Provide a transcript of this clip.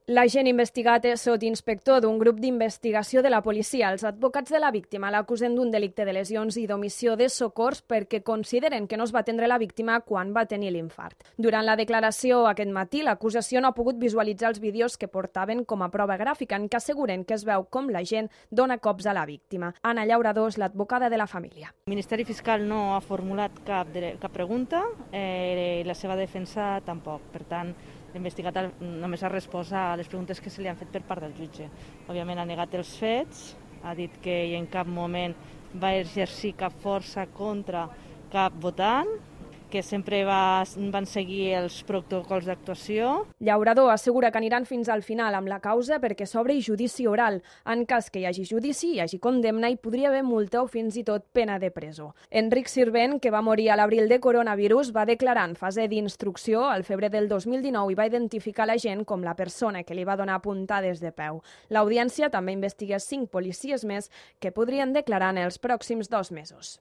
L'agent investigat és sotsinspector d'un grup d'investigació de la policia. Els advocats de la víctima l'acusen d'un delicte de lesions i d'omissió de socors perquè consideren que no es va atendre la víctima quan va tenir l'infart. Durant la declaració aquest matí, l'acusació no ha pogut visualitzar els vídeos que portaven com a prova gràfica, en què asseguren que es veu com l'agent dona cops a la víctima. Anna Llauradó és l'advocada de la família. El Ministeri Fiscal no ha formulat cap pregunta, la seva defensa tampoc. Per tant, l'investigat només ha respost a les preguntes que se li han fet per part del jutge. Òbviament ha negat els fets, ha dit que en cap moment va exercir cap força contra cap votant, que sempre van seguir els protocols d'actuació. Llauradó assegura que aniran fins al final amb la causa perquè s'obri judici oral. En cas que hi hagi judici, hi hagi condemna, hi podria haver multa o fins i tot pena de presó. Enric Sirvent, que va morir a l'abril de coronavirus, va declarar en fase d'instrucció al febrer del 2019 i va identificar l'agent com la persona que li va donar puntades de peu. L'audiència també investiga 5 policies més que podrien declarar en els pròxims 2 mesos.